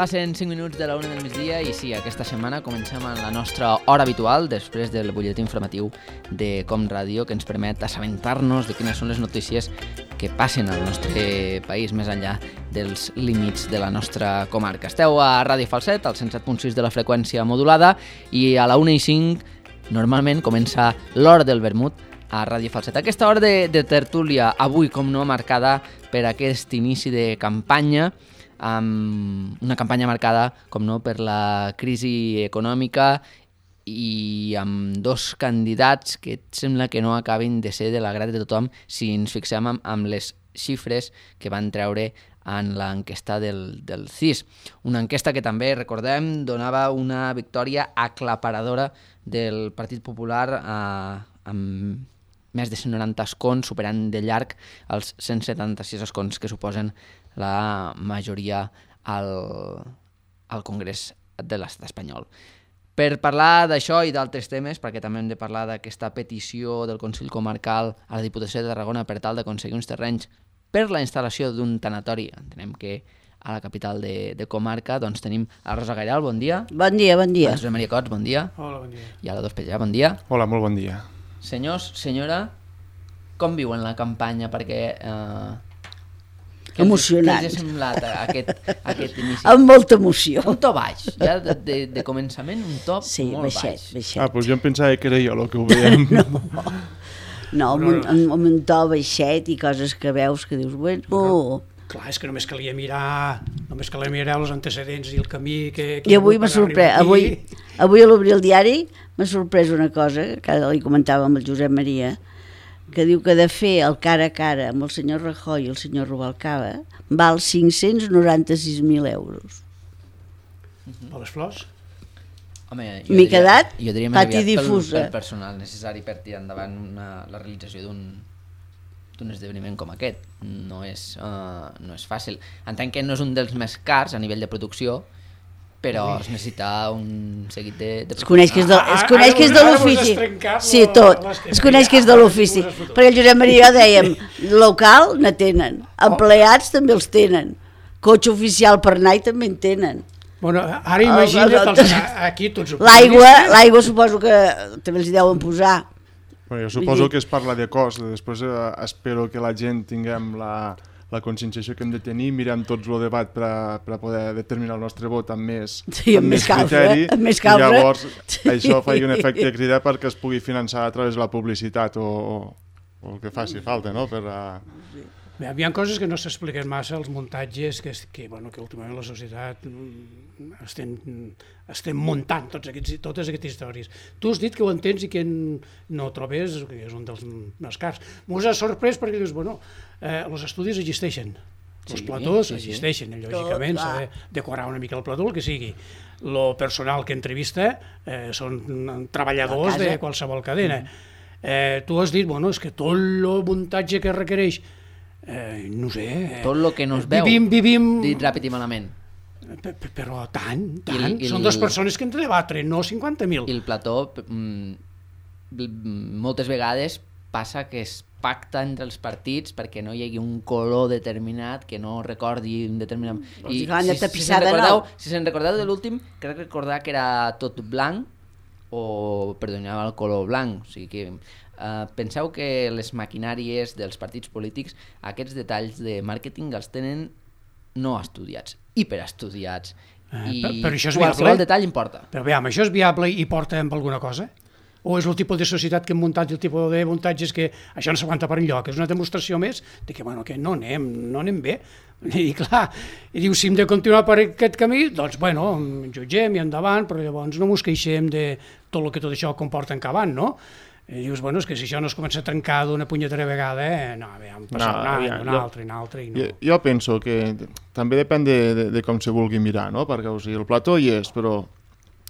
Passen 5 minuts de la 1 del migdia i sí, aquesta setmana comencem amb la nostra hora habitual després del butlletí informatiu de Com Ràdio, que ens permet assabentar-nos de quines són les notícies que passen al nostre país més enllà dels límits de la nostra comarca. Esteu a Ràdio Falset, al 107.6 de la freqüència modulada, i a la 1:05 normalment comença l'hora del vermut a Ràdio Falset. Aquesta hora de tertúlia, avui com no, marcada per aquest inici de campanya, amb una campanya marcada, com no, per la crisi econòmica i amb dos candidats que sembla que no acabin de ser de l'agrat de tothom si ens fixem amb les xifres que van treure en l'enquesta del CIS. Una enquesta que també, recordem, donava una victòria aclaparadora del Partit Popular amb més de 190 escons, superant de llarg els 176 escons que suposen la majoria al Congrés de l'Estat espanyol. Per parlar d'això i d'altres temes, perquè també hem de parlar d'aquesta petició del Consell Comarcal a la Diputació de Tarragona per tal d'aconseguir uns terrenys per la instal·lació d'un tanatori, entenem que a la capital de comarca, doncs tenim a Rosa Gairal, bon dia. Bon dia, bon dia. A Josep Maria Cots, bon dia. Hola, bon dia. I a la Dospella, bon dia. Hola, molt bon dia. Senyors, senyora, com viuen la campanya? Perquè... emocionant. Què els ha semblat aquest inici? Amb molta emoció. Un to baix, ja de començament un to molt baix. Baixet. Doncs jo em pensava que era jo el que ho veiem. No, amb un to baixet i coses que veus que dius, bueno... Clar, és que només calia mirar els antecedents i el camí que... I avui m'ha sorprès, avui a l'obrir el diari m'ha sorprès una cosa, que li comentava amb el Josep Maria, que diu que de fer el cara a cara amb el senyor Rajoy i el senyor Rubalcaba val 596.000 euros. Per les flors? Home, m'he quedat pati difusa. Pel personal necessari per tirar endavant la realització d'un esdeveniment com aquest. No és fàcil. Entenc que no és un dels més cars a nivell de producció, però es necessita un seguit de... Es coneix que és de l'ofici. Sí, tot. Es coneix que és de l'ofici. Perquè el Josep Maria i jo dèiem, local ne tenen, empleats també els tenen, cotxe oficial per anar també en tenen. Bueno, ara imagina't aquí tots ho... L'aigua suposo que també els hi deuen posar. Jo suposo que es parla de cost, després espero que la gent tinguem la conscienciació que hem de tenir, mirem tots el debat per poder determinar el nostre vot amb més criteri, i llavors això fa un efecte crida perquè es pugui finançar a través de la publicitat o el que faci falta, no? Hi ha coses que no s'expliquen massa, els muntatges que últimament la societat estem muntant totes aquestes històries. Tu has dit que ho entens i que no trobes, que és un dels més cars. M'ho has sorprès perquè dius, els estudis existeixen, els platós existeixen, lògicament s'ha de decorar una mica el plató, el que sigui. El personal que entrevista són treballadors de qualsevol cadena. Tu has dit, és que tot el muntatge que requereix, no sé... Tot el que no es veu, dit ràpid i malament. Però tant. Són dues persones que han de debatre, no 50.000. I el plató, moltes vegades passa que es pacta entre els partits perquè no hi hagi un color determinat que no recordi un determinat... I si se'n recordeu de l'últim, crec recordar que era tot blanc o predominava el color blanc. O sigui que penseu que les maquinàries dels partits polítics aquests detalls de màrqueting els tenen no estudiats, hiperestudiats, i però això és qualsevol viable? Detall importa. Però veiem, això és viable i porta amb alguna cosa? o és el tipus de societat que hem muntat i el tipus de muntatges que això no s'aguanta per enlloc. És una demostració més de que, bueno, que no anem bé. I clar, i diu, si hem de continuar per aquest camí, doncs, bueno, jutgem i endavant, però llavors no mos queixem de tot el que tot això comporta encavant, no? I dius, bueno, és que si això no es comença a trencar d'una punyetera vegada, no, hem passat un altre i no. Jo penso que també depèn de com se vulgui mirar, no? Perquè, o sigui, el plató hi és, però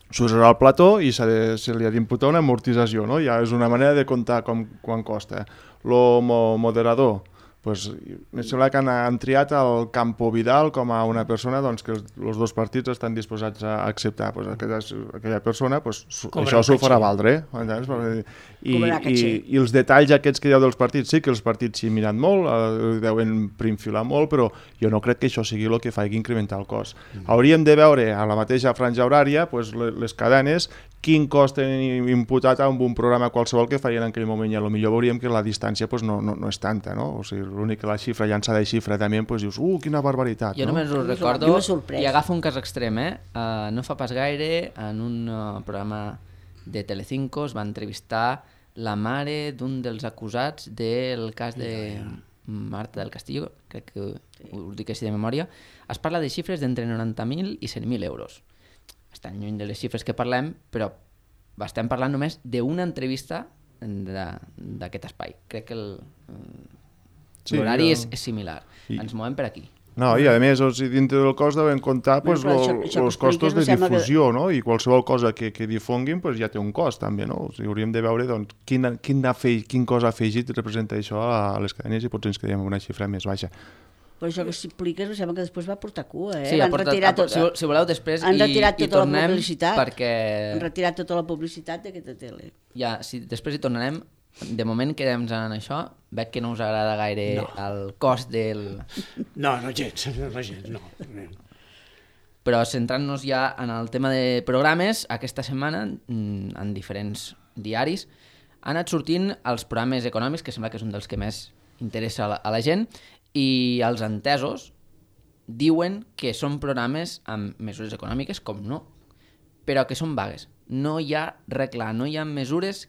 s'usarà el plató i se li ha d'imputar una amortització, no? Ja és una manera de comptar quan costa. El moderador, pues, em sembla que han triat el Campo Vidal com a una persona doncs, que els dos partits estan disposats a acceptar. Pues, aquella persona, pues, això s'ho farà valdre. I els detalls aquests que dieu dels partits, sí que els partits s'hi miren molt, deuen prinfilar molt, però jo no crec que això sigui el que faci incrementar el cost. Hauríem de veure a la mateixa franja horària pues, les cadenes, quin cost tenen imputat amb un programa qualsevol que feien en aquell moment, i potser veuríem que la distància pues, no és tanta, no? O sigui, l'únic que la xifra, llançada de xifra també, pues, dius, quina barbaritat. Jo només us recordo, i agafo un cas extrem, no fa pas gaire, en un programa de Telecinco es va entrevistar la mare d'un dels acusats del cas de Marta del Castillo, crec que us dic així de memòria. Es parla de xifres d'entre 90.000 i 100.000 euros. Estan lluny de les xifres que parlem, però estem parlant només d'una entrevista d'aquest espai. Crec que l'horari és similar. Ens movem per aquí. No, i a més, dintre del cost deuen comptar els costos de difusió, no? I qualsevol cosa que difonguin ja té un cost, també, no? O sigui, hauríem de veure quin cost afegit representa això a les cadenes i potser ens quedem amb una xifra més baixa. Però això que s'expliques, em sembla que després va portar cua, Sí, si voleu després i tornem perquè... Han retirat tota la publicitat d'aquesta tele. Ja, després hi tornarem. De moment quedem en això. Veig que no us agrada gaire el cost del... No, gens, no. Però centrant-nos ja en el tema de programes, aquesta setmana, en diferents diaris, han anat sortint els programes econòmics, que sembla que és un dels que més interessa a la gent, i els entesos diuen que són programes amb mesures econòmiques, com no, però que són vagues. No hi ha regla, no hi ha mesures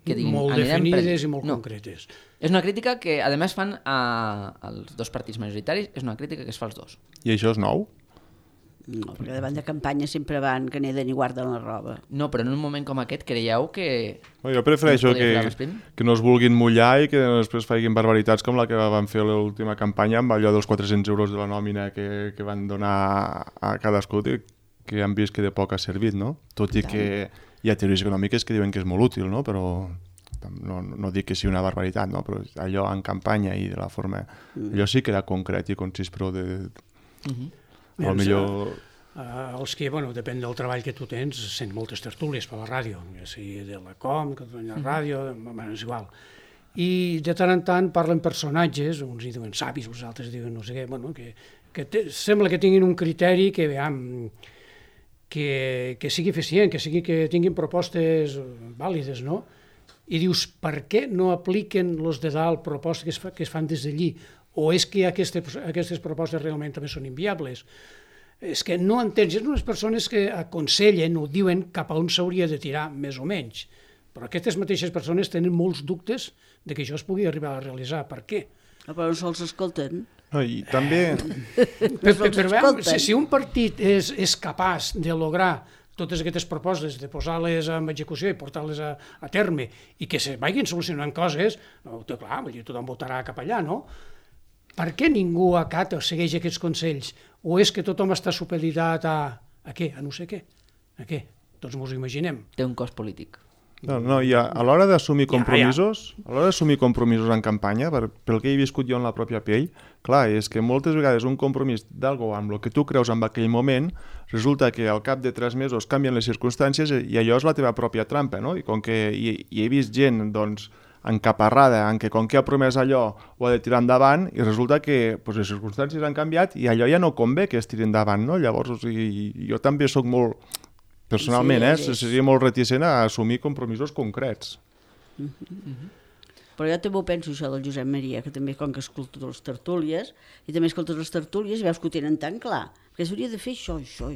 que diguin... Molt definides i molt concretes. És una crítica que, a més, fan als dos partits majoritaris, és una crítica que es fa als dos. I això és nou? No, perquè davant de campanya sempre van que neden i guarden la roba. No, però en un moment com aquest creieu que... Jo prefereixo que no es vulguin mullar i que després facin barbaritats com la que van fer l'última campanya amb allò dels 400 euros de la nòmina que van donar a cadascú, que han vist que de poc ha servit, no? Tot i que hi ha teories econòmiques que diuen que és molt útil, no? Però no dic que sigui una barbaritat, no? Però allò en campanya i de la forma... Allò sí que era concret i concís, però millor... Els que, depèn del treball que tu tens, sent moltes tertúlies per la ràdio, ja sigui de la Com, que la ràdio, és igual. I de tant en tant parlen personatges, uns hi diuen savis, els altres diuen no sé què, que sembla que tinguin un criteri que, que sigui eficient, que tinguin propostes vàlides, no? I dius, per què no apliquen els de dalt propostes que es fan des d'allí? O és que aquestes propostes realment també són inviables? És que no entens, són unes persones que aconsellen o diuen cap a on s'hauria de tirar, més o menys. Però aquestes mateixes persones tenen molts dubtes de que això es pugui arribar a realitzar. Per què? Però no se'ls escolten. No, i també... Però si un partit és capaç de lograr totes aquestes propostes, de posar-les en execució i portar-les a terme i que se vagin solucionant coses, clar, tothom votarà cap allà, no? Per què ningú acata o segueix aquests consells? O és que tothom està supeditat a què? A no sé què? A què? Tots mos ho imaginem. Té un cost polític. No, i a l'hora d'assumir compromisos, a l'hora d'assumir compromisos en campanya, pel que he viscut jo en la pròpia pell, clar, és que moltes vegades un compromís d'algú amb el que tu creus en aquell moment, resulta que al cap de 3 mesos canvien les circumstàncies i allò és la teva pròpia trampa, no? I com que he vist gent, doncs, encaparrada, en què com que ha promès allò ho ha de tirar endavant i resulta que les circumstàncies han canviat i allò ja no convé que es tiri endavant, no? Llavors, o sigui, jo també soc molt... Personalment, seria molt reticent a assumir compromisos concrets. Però jo també ho penso, això del Josep Maria, que també com que escolta les tertúlies, i també escoltes les tertúlies i veus que ho tenen tan clar, que s'hauria de fer això, i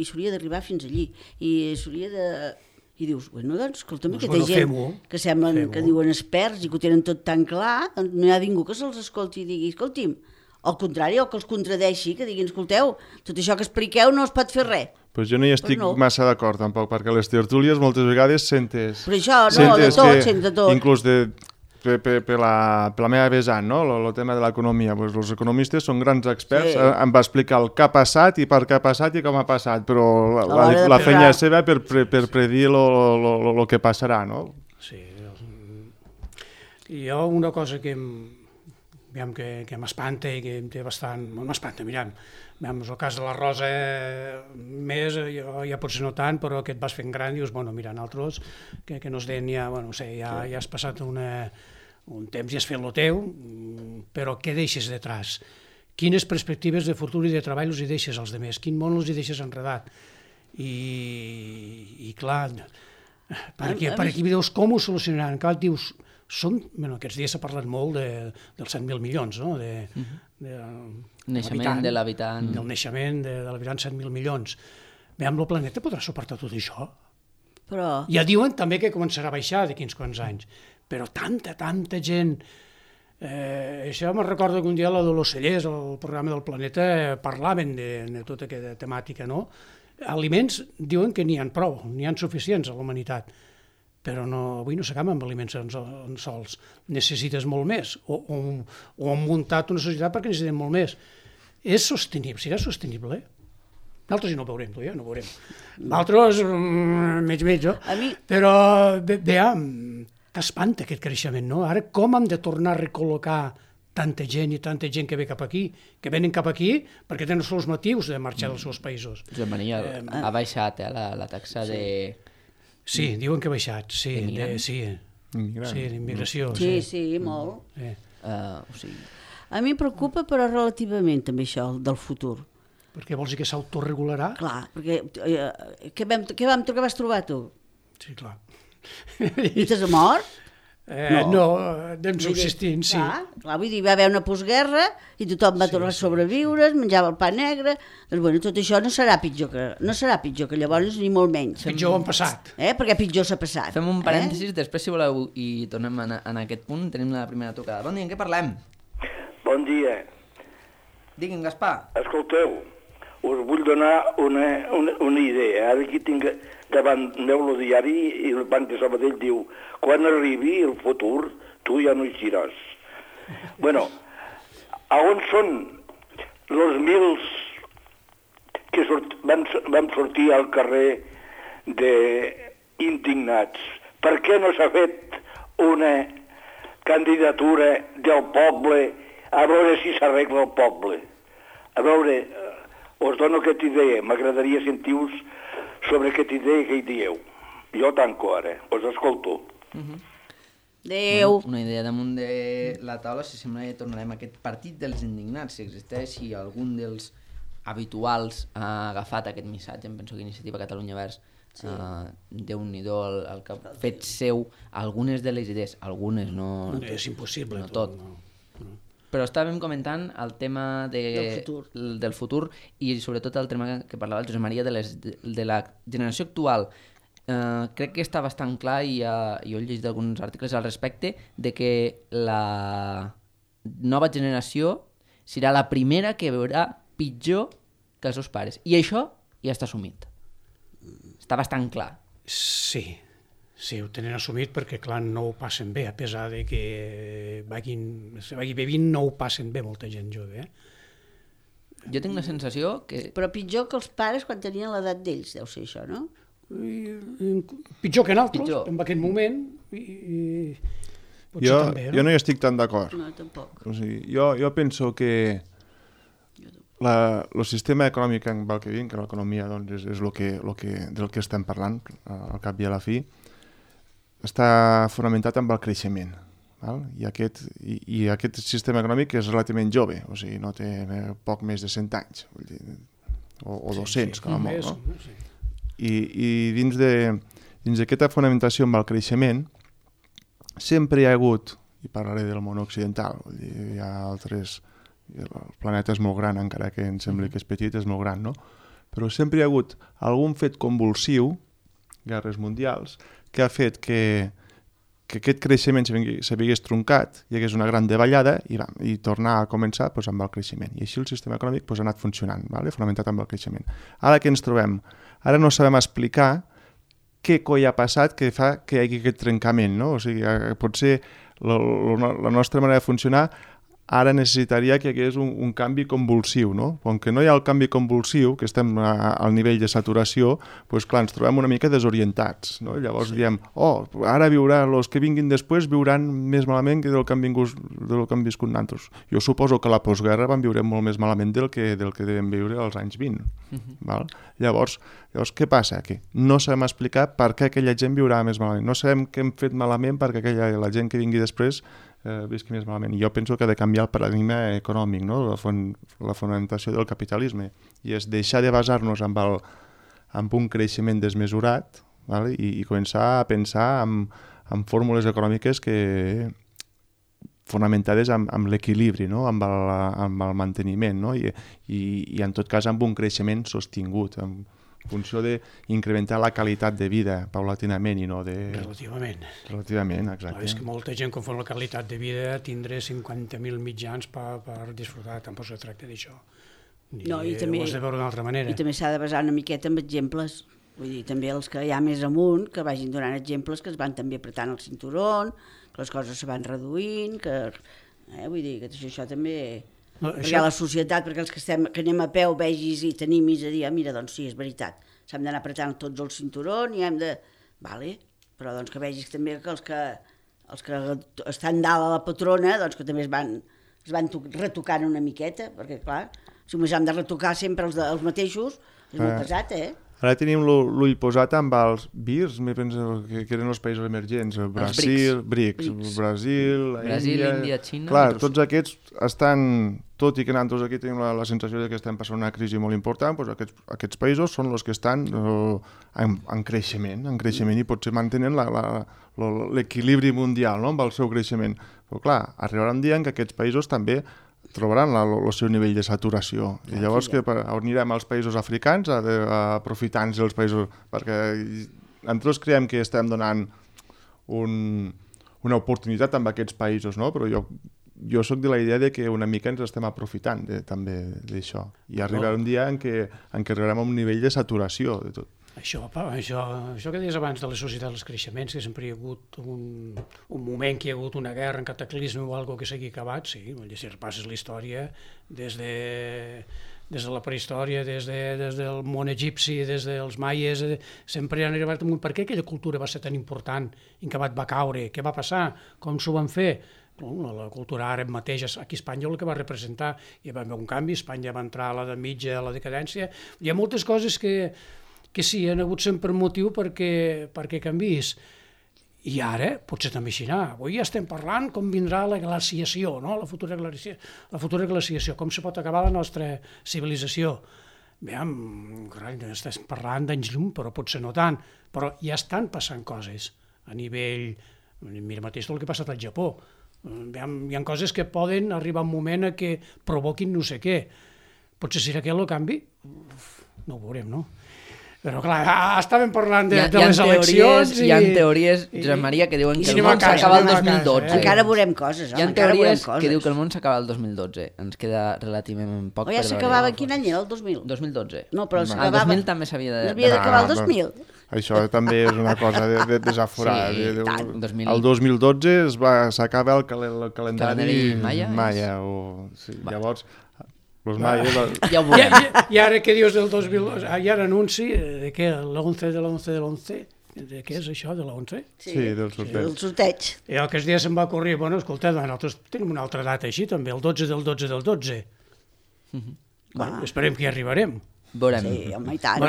s'hauria d'arribar fins allí, i s'hauria de... I dius, bueno, doncs, escolta'm, aquesta gent que semblen que diuen experts i que ho tenen tot tan clar, no hi ha ningú que se'ls escolti i digui, escolti'm, al contrari, o que els contradeixi, que diguin, escolteu, tot això que expliqueu no es pot fer res. Pues jo no hi estic massa d'acord, tampoc, perquè a les tertúlies moltes vegades sentes... Però això, no, de tot, sent de tot. Inclús per la meva vessant, no? El tema de l'economia. Pues els economistes són grans experts, em va explicar el que ha passat i per què ha passat i com ha passat, però la feina és seva per predir el que passarà, no? Sí. I jo una cosa que m'espanta i que em té bastant... M'espanta, mirem, el cas de la Rosa més, jo ja potser no tant, però que et vas fent gran i dius, bueno, mira, nosaltres, que no es deien ja, bueno, no sé, ja has passat un temps i has fet el teu, però què deixes detrás? Quines perspectives de futur i de treball els hi deixes als altres? Quin món els hi deixes enredat? I clar, per aquí veus com ho solucionaran. Clar, dius, aquests dies s'ha parlat molt dels 100.000 milions, no? Naixement de l'habitant. Del naixement de l'habitant, 100.000 milions. Veiem, el planeta podrà suportar tot això? Ja diuen també que començarà a baixar d'aquí uns quants anys, però tanta gent... Això me'n recordo que un dia la Dolors Cellers, el programa del Planeta, parlaven de tota aquesta temàtica, no? Aliments diuen que n'hi ha prou, n'hi ha suficients a la humanitat, però avui no s'acaba amb aliments sols. Necessites molt més, o han muntat una societat perquè necessitem molt més. És sostenible, serà sostenible, Nosaltres no ho veurem, ja no ho veurem. Nosaltres, mig, no? Però, t'espanta aquest creixement, no? Ara, com hem de tornar a recol·locar tanta gent i tanta gent que ve cap aquí, que venen cap aquí perquè tenen els seus motius de marxar dels seus països? Josep Maria, ha baixat la taxa de... Sí, diuen que ha baixat, sí, d'immigració. Sí, molt. A mi em preocupa, però relativament també això, del futur. Perquè vols dir que s'autoregularà? Clar, perquè què vas trobar tu? Sí, clar. Estàs mort? No, anem subsistint, sí. Clar, vull dir, va haver una postguerra i tothom va tornar a sobreviure, es menjava el pa negre, doncs bueno, tot això no serà pitjor que llavors ni molt menys. Pitjor ho han passat. Perquè pitjor s'ha passat. Fem un parèntesis, després si voleu i tornem en aquest punt, tenim la primera tocada. Bon dia, en què parlem? Bon dia. Digui'm, Gaspar. Escolteu, us vull donar una idea. Ara aquí tinc davant meu el diari i el Banc de Sabadell diu quan arribi el futur tu ja no hi seràs. Bueno, on són els mils que vam sortir al carrer indignats? Per què no s'ha fet una candidatura del poble a veure si s'arregla el poble? A veure, us dono aquesta idea, m'agradaria sentir-vos sobre aquesta idea que hi dieu. Jo tanco ara, us escolto. Adéu. Una idea damunt de la taula, si sembla que tornarem a aquest partit dels indignats, si existeix, si algun dels habituals ha agafat aquest missatge, em penso que Iniciativa Catalunya Verds, Déu-n'hi-do el que ha fet seu algunes de les idees, algunes, no... És impossible. No tot. Però estàvem comentant el tema del futur i sobretot el tema que parlava el Josep Maria de la generació actual. Crec que està bastant clar i jo he llegit alguns articles al respecte de que la nova generació serà la primera que veurà pitjor que els seus pares. I això ja està assumit. Està bastant clar. Sí, ho tenen assumit perquè, clar, no ho passen bé, a pesar de que se vagi bevint, no ho passen bé molta gent jove. Jo tinc la sensació que... Però pitjor que els pares quan tenien l'edat d'ells, deu ser això, no? Pitjor que nosaltres, en aquest moment. Jo no hi estic tan d'acord. No, tampoc. O sigui, jo penso que el sistema econòmic en el que vivim, que l'economia doncs, és del que estem parlant, al cap i a la fi, està fonamentat amb el creixement. Val? I aquest sistema econòmic és relativament jove, o sigui, no té poc més de 100 anys, vull dir, o 200, com a molt. No? I dins d'aquesta fonamentació amb el creixement, sempre hi ha hagut, i parlaré del món occidental, vull dir, hi ha altres... El planeta és molt gran, encara que em sembli que és petit, és molt gran, no? Però sempre hi ha hagut algun fet convulsiu guerres mundials, que ha fet que aquest creixement s'hagués truncat, hi hagués una gran davallada i tornar a començar amb el creixement. I així el sistema econòmic ha anat funcionant, fonamentat amb el creixement. Ara què ens trobem? Ara no sabem explicar què coi ha passat que fa que hi hagi aquest trencament, no? O sigui, potser la nostra manera de funcionar ara necessitaria que hi hagués un canvi convulsiu, no? Com que no hi ha el canvi convulsiu, que estem al nivell de saturació, doncs clar, ens trobem una mica desorientats, no? Llavors diem, ara els que vinguin després viuran més malament que del que han viscut nosaltres. Jo suposo que a la postguerra van viure molt més malament del que devem viure als anys 20. Val? Llavors, què passa? Que no sabem explicar per què aquella gent viurà més malament. No sabem què hem fet malament perquè la gent que vingui després visqui més malament. I jo penso que ha de canviar el paradigma econòmic, no? La fonamentació del capitalisme, i és deixar de basar-nos en un creixement desmesurat, vale? I començar a pensar en fórmules econòmiques fonamentades amb l'equilibri, no? amb el manteniment, no? I en tot cas amb un creixement sostingut, en funció d'incrementar la qualitat de vida paulatinament i no de... Relativament, exacte. És que molta gent confon la qualitat de vida tindre 50.000 mitjans per disfrutar, tampoc se tracta d'això. No, i també, ho has de veure d'una altra manera. I també s'ha de basar una miqueta en exemples. Vull dir, també els que hi ha més amunt, que vagin donant exemples, que es van també apretant el cinturó, que les coses se van reduint, vull dir, que això també... No, perquè la societat, perquè els que anem a peu vegis i t'animis a dir, mira, doncs sí, és veritat, s'hem d'anar apretant tots el cinturó i hem de... Vale, però doncs que vegis també que els que estan dalt a la patrona, doncs que també es van retocant una miqueta, perquè clar, si només hem de retocar sempre els mateixos, és molt pesat, Ara tenim l'ull posat amb els BRICS, que eren els països emergents, Brasil, Brasil, Índia, Xina... Clar, tots aquests estan, tot i que nosaltres aquí tenim la sensació que estem passant una crisi molt important, doncs aquests països són els que estan en creixement, i potser mantenen l'equilibri mundial, no?, amb el seu creixement. Però clar, arribarà un dia en què aquests països també trobaran el seu nivell de saturació. I llavors anirem als països africans aprofitant-se dels països, perquè nosaltres creiem que estem donant una oportunitat amb aquests països, no? Però jo soc de la idea de que una mica ens estem aprofitant també d'això. I arribarà un dia en què arribarem a un nivell de saturació de tot. Això que deies abans de la societat dels creixements, que sempre hi ha hagut un moment que hi ha hagut una guerra, un cataclisme o alguna que s'hagi acabat, sí, si repasses la història des de la prehistòria, des del món egipci, des dels maies, sempre han arribat a un... Per què aquella cultura va ser tan important? En què va caure? Què va passar? Com s'ho van fer? La cultura àrab mateix aquí a Espanya el que va representar, hi va haver un canvi, Espanya va entrar a l'edat mitja, a la decadència, hi ha moltes coses que sí, han hagut sempre motiu perquè canviïs. I ara, potser també així anar. Avui ja estem parlant com vindrà la glaciació, no? La futura glaciació, com se pot acabar la nostra civilització. Estàs parlant d'anys llum, però potser no tant. Però ja estan passant coses a nivell... Mira mateix el que ha passat al Japó. Hi ha coses que poden arribar un moment a que provoquin no sé què. Potser serà aquest el canvi? No ho veurem, no? Però clar, estàvem parlant de les eleccions i... Hi ha teories, Josep Maria, que diuen que el món s'acaba el 2012. Encara veurem coses, home, encara veurem coses. Hi ha teories que diu que el món s'acaba el 2012. Ens queda relativament poc per veure. Ja s'acabava, quin any era, el 2000? 2012. No, però s'acabava... El 2000 també s'havia d'acabar el 2000. Això també és una cosa de desaforar. Sí, el 2012 s'acaba el calendari maia. Llavors... I ara què dius del 2000? Hi ha l'anunci de què? L'11 de l'11 de què és això, de l'11? Sí, del sorteig. I el que es dia se'm va corrir, bueno, escolta, nosaltres tenim una altra data així també, el 12 del 12 del 12. Esperem que hi arribarem. Veurem. Sí, home, i tant.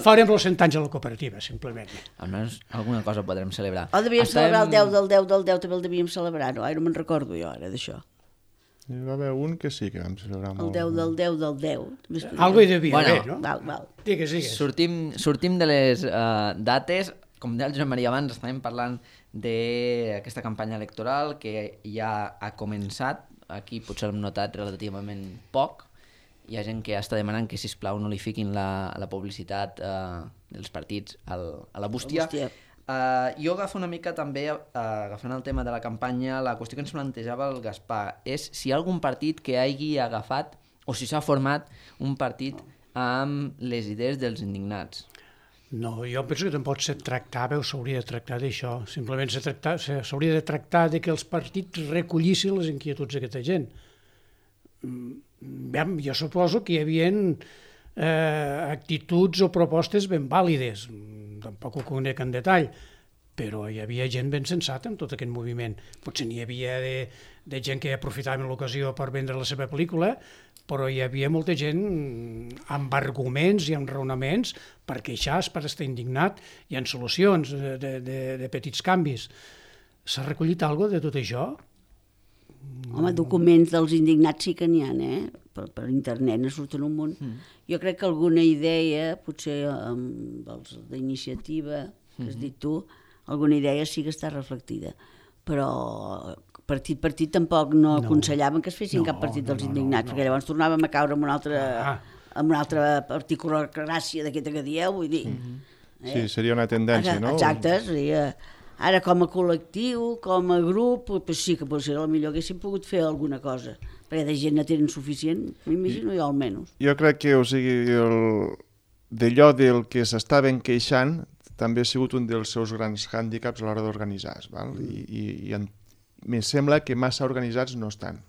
Farem els 100 anys a la cooperativa, simplement. Almenys alguna cosa podrem celebrar. O devíem celebrar el 10 del 10 del 10, també el devíem celebrar, no? No me'n recordo jo ara d'això. Hi va haver un que sí que vam celebrar molt. El 10 del 10 del 10. Algo hi devia haver, no? Val. Digues. Sortim de les dates. Com deia el Josep Maria abans, estàvem parlant d'aquesta campanya electoral que ja ha començat. Aquí potser l'hem notat relativament poc hi ha gent que està demanant que, sisplau, no li fiquin la publicitat dels partits a la bústia. Jo agafo una mica també, agafant el tema de la campanya, la qüestió que ens plantejava el Gaspar és si hi ha algun partit que hagi agafat o si s'ha format un partit amb les idees dels indignats. No, jo penso que tampoc s'hauria de tractar d'això. Simplement s'hauria de tractar de que els partits recollissin les inquietuds d'aquesta gent. Jo suposo que hi havia actituds o propostes ben vàlides, tampoc ho conec en detall, però hi havia gent ben sensata en tot aquest moviment. Potser n'hi havia de gent que aprofitava l'ocasió per vendre la seva pel·lícula, però hi havia molta gent amb arguments i amb raonaments per queixar-se, per estar indignat, hi ha solucions de petits canvis. S'ha recollit alguna cosa de tot això? Home, documents dels indignats sí que n'hi ha, per internet ne surten un munt. Jo crec que alguna idea, potser dels d'iniciativa, que has dit tu, alguna idea sí que està reflectida, però partit per partit tampoc no aconsellaven que es fessin cap partit dels indignats, perquè llavors tornàvem a caure amb una altra particular gràcia d'aquesta que dieu, vull dir. Sí, seria una tendència, no? Exacte, seria... Ara, com a col·lectiu, com a grup, doncs sí que potser millor haguéssim pogut fer alguna cosa, perquè de gent no tenen suficient, m'imagino jo almenys. Jo crec que, o sigui, d'allò del que s'estaven queixant també ha sigut un dels seus grans hàndicaps a l'hora d'organitzar-se, i me sembla que massa organitzats no estan.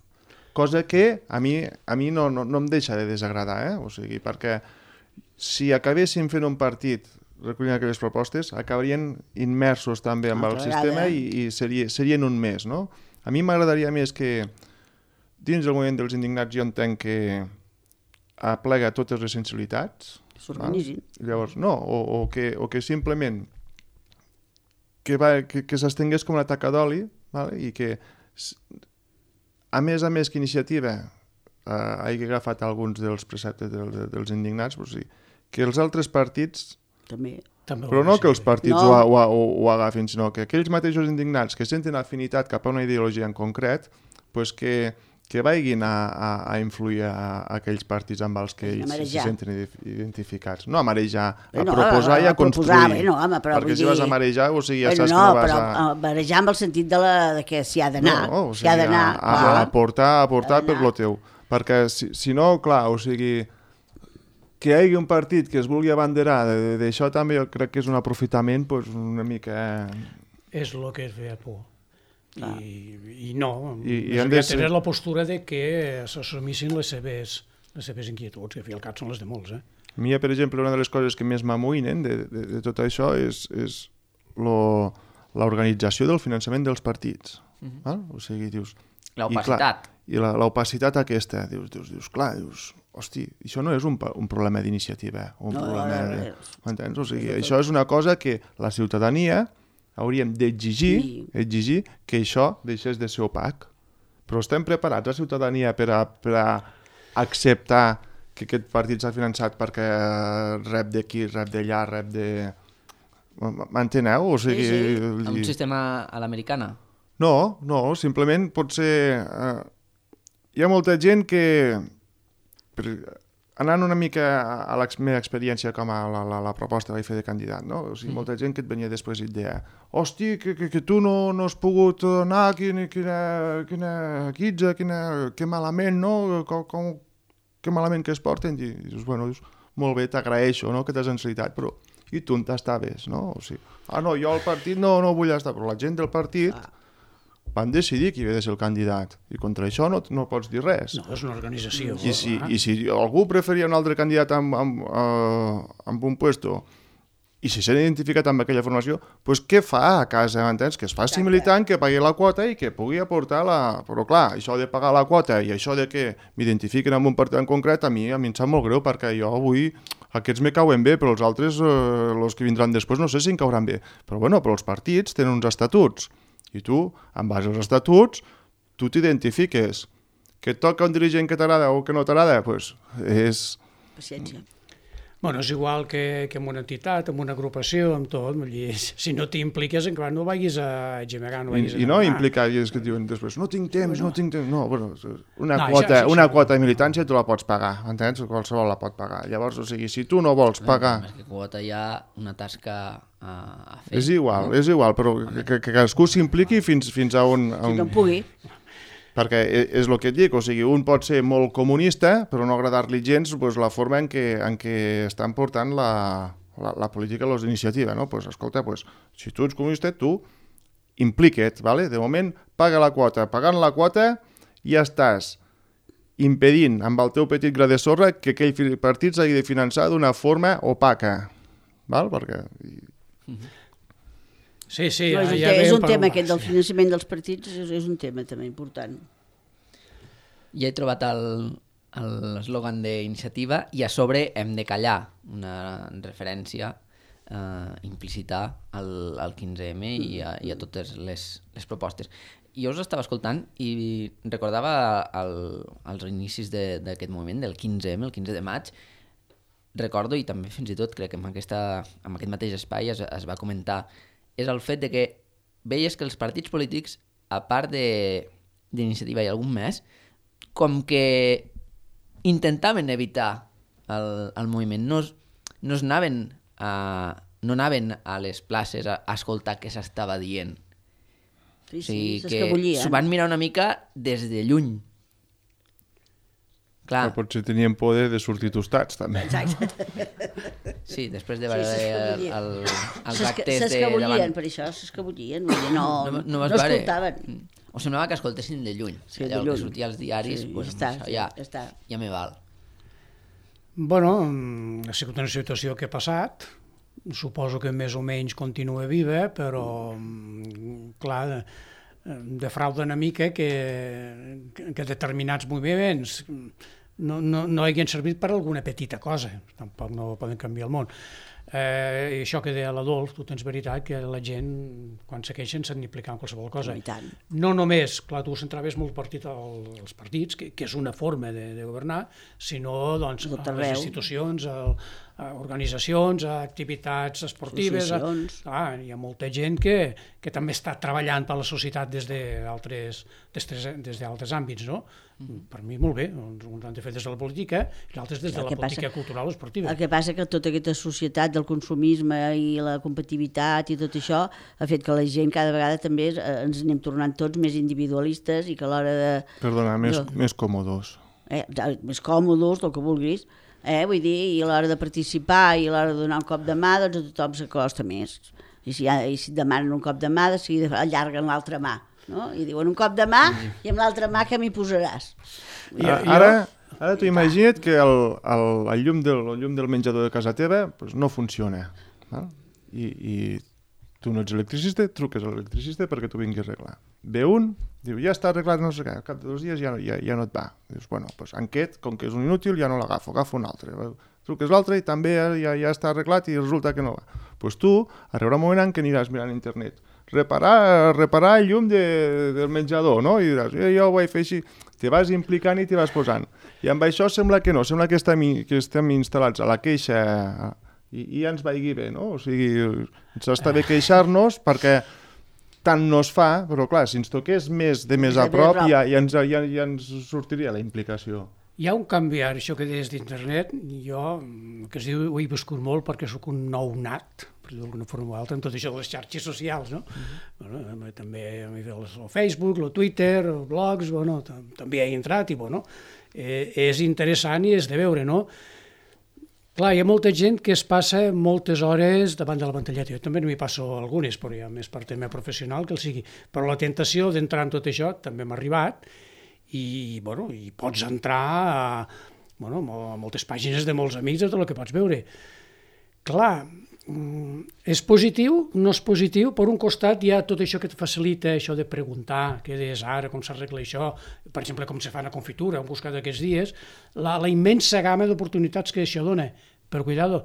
Cosa que a mi no em deixa de desagradar, o sigui, perquè si acabéssim fent un partit recollint aquelles propostes, acabarien immersos també amb el sistema i serien un més, no? A mi m'agradaria més que dins del moviment dels indignats jo entenc que aplega totes les sensibilitats. S'organitzin. Llavors, no, o que simplement que s'estengués com una taca d'oli, i que a més que iniciativa hagi agafat alguns dels preceptes dels indignats, que els altres partits també. Però no que els partits ho agafin, sinó que aquells mateixos indignats que senten afinitat cap a una ideologia en concret, que vagin a influir a aquells partits amb els que ells se senten identificats. No a marejar, a proposar i a construir. Perquè si vas a marejar, o sigui, ja saps que no vas a... No, però marejar amb el sentit de que s'hi ha d'anar. No, o sigui, a aportar per lo teu. Perquè si no, clar, o sigui... Que hi hagi un partit que es vulgui abanderar d'això també jo crec que és un aprofitament una mica... És el que es feia por. I no, han de tenir la postura de que s'assumissin les seves inquietuds, que al fi al cap són les de molts. A mi, per exemple, una de les coses que més m'amoïnen de tot això és l'organització del finançament dels partits. O sigui, dius... L'opacitat. I l'opacitat aquesta, dius, clar, hosti, això no és un problema d'iniciativa, m'entens? O sigui, això és una cosa que la ciutadania hauríem d'exigir que això deixés de ser opac. Però estem preparats, la ciutadania, per a acceptar que aquest partit s'ha finançat perquè rep d'aquí, rep d'allà, rep de... M'enteneu? O sigui... Un sistema a l'americana? No, simplement pot ser... Hi ha molta gent que... Anant una mica a la meva experiència com a la proposta que vaig fer de candidat, no? O sigui, molta gent que et venia després i et deia hosti, que tu no has pogut anar, quina quitza, que malament, no? Que malament que es porten. I dius, molt bé, t'agraeixo, no?, que t'has encertat, però i tu on t'estaves, no? O sigui, no, jo al partit no vull estar, però la gent del partit... van decidir qui havia de ser el candidat i contra això no pots dir res. No, és una organització. I si algú preferia un altre candidat amb un puesto i si s'ha identificat amb aquella formació, doncs què fa a casa, m'entens? Que es faci militant, que pagui la quota i que pugui aportar la... Però clar, això de pagar la quota i això de que m'identifiquen amb un partit en concret, a mi em sap molt greu perquè jo avui... Aquests me cauen bé, però els altres, els que vindran després, no sé si em cauran bé. Però els partits tenen uns estatuts. I tu, en base als estatuts, tu t'identifiques. Que et toca un dirigent que t'agrada o que no t'agrada, doncs és... Paciència. Bueno, és igual que en una entitat, en una agrupació, amb tot. Si no t'impliques, encara no vagis a gemegar, no vagis a... I no implicar, és que diuen després, no tinc temps. No, bueno, una quota de militància tu la pots pagar, entens? Qualsevol la pot pagar. Llavors, o sigui, si tu no vols pagar... Més que quota hi ha una tasca a fer. És igual, però que cadascú s'impliqui fins a on... Si no pugui. Perquè és el que et dic, o sigui, un pot ser molt comunista, però no agradar-li gens la forma en què estan portant la política a les iniciatives, no? Pues, escolta, si tu ets comunista, tu implica't, ¿vale? De moment, paga la quota. Pagant la quota ja estàs impedint amb el teu petit gra de sorra que aquell partit s'hagi de finançar d'una forma opaca, val? Perquè... Sí, no, és un tema aquest del finançament dels partits, és un tema també important. Ja he trobat l'eslògan d'iniciativa i a sobre hem de callar, una referència implícita al 15M i a totes les propostes. Jo us estava escoltant i recordava els inicis d'aquest moviment, del 15M, el 15 de maig. Recordo, i també fins i tot crec que en aquest mateix espai es va comentar, és el fet de que veies que els partits polítics, a part d'iniciativa i algun més, com que intentaven evitar el moviment, no anaven a les places a escoltar què s'estava dient. Sí, o sigui, s'escabullien. S'ho van mirar una mica des de lluny. Clar. Però potser tenien por de sortir tostats, també. Exacte. Sí, després de veure els actes de s'escabullien, per això s'escabullien. No escoltaven. O semblava que escoltessin de lluny. Sí, allò que sortia als diaris, ja me val. Bueno, ha sigut una situació que ha passat. Suposo que més o menys continua viva, però, clar, defrauda una mica que determinats moviments no hagin servit per alguna petita cosa. Tampoc no poden canviar el món. I això que deia l'Adolf, tu tens veritat que la gent, quan se queixen, s'han d'implicar en qualsevol cosa. No només, clar, tu centraves molt als partits, que és una forma de governar, sinó a les institucions, a organitzacions, a activitats esportives. Hi ha molta gent que també està treballant per la societat des d'altres àmbits, no? Per mi molt bé, uns han de fer des de la política i altres des de la política cultural o esportiva. El que passa que tota aquesta societat del consumisme i la competitivitat i tot això ha fet que la gent cada vegada també ens anem tornant tots més individualistes i que a l'hora de... Perdona, més còmodos. Més còmodos, el que vulguis. Vull dir, i a l'hora de participar i a l'hora de donar un cop de mà, doncs a tothom s'acosta més. I si demanen un cop de mà, de seguida allarguen l'altra mà. No? I diuen un cop de mà i amb l'altra mà que m'hi posaràs. Ara t'ho imagina't que el llum del menjador de casa teva no funciona. I tu no ets electricista, truques a l'electricista perquè t'ho vingui a arreglar. Ve un, diu, ja està arreglat, no sé què, al cap de 2 dies ja no et va. Dius, bueno, doncs aquest, com que és un inútil, ja no l'agafo, agafo un altre. Truques l'altre i també ja està arreglat i resulta que no va. Doncs tu arribarà un moment en què aniràs mirant a internet. Reparar el llum del menjador, no? I diràs, jo ho vaig fer així. Te vas implicant i te vas posant. I amb això sembla que no, sembla que estem instal·lats a la queixa i ja ens vagi bé, no? O sigui, ens està bé queixar-nos perquè tant no es fa, però clar, si ens toqués més a prop ja ens sortiria la implicació. Hi ha un canvi ara, això que deies d'internet, jo, que es diu, ho he viscut molt perquè sóc un nou nat, per dir d'alguna forma o altra, en tot això de les xarxes socials, no? Bueno, també el Facebook, el Twitter, els blogs, bueno, també he entrat i, bueno, és interessant i és de veure, no? Clar, hi ha molta gent que es passa moltes hores davant de la pantalleta. Jo també m'hi passo algunes, però ja més per tema professional que el sigui. Però la tentació d'entrar en tot això també m'ha arribat i pots entrar a moltes pàgines de molts amics de tot el que pots veure. Clar, és positiu, no és positiu, per un costat hi ha tot això que et facilita, això de preguntar què és ara, com s'arregla això, per exemple, com se fa una confitura, hem buscat aquests dies, la immensa gamma d'oportunitats que això dona. Però, cuidado,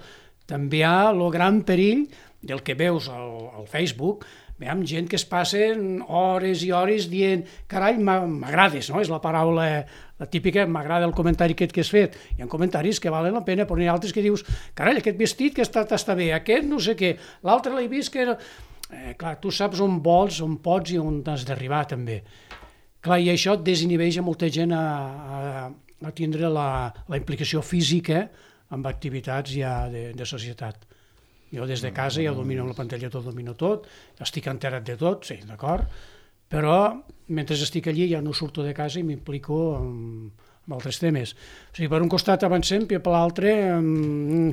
també hi ha el gran perill del que veus al Facebook, veiem gent que es passen hores i hores dient carai, m'agrades, no? És la paraula, la típica, m'agrada el comentari aquest que has fet. Hi ha comentaris que valen la pena, però n'hi ha altres que dius carai, aquest vestit que està bé, aquest no sé què, l'altre l'he vist que... clar, tu saps on vols, on pots i on has d'arribar també. Clar, i això desinhibeix a molta gent a tindre la implicació física amb activitats ja de societat. Jo des de casa ja domino la pantalla, domino tot, estic enterat de tot, sí, d'acord, però mentre estic allí ja no surto de casa i m'implico amb altres temes. O sigui, per un costat avancem i per l'altre...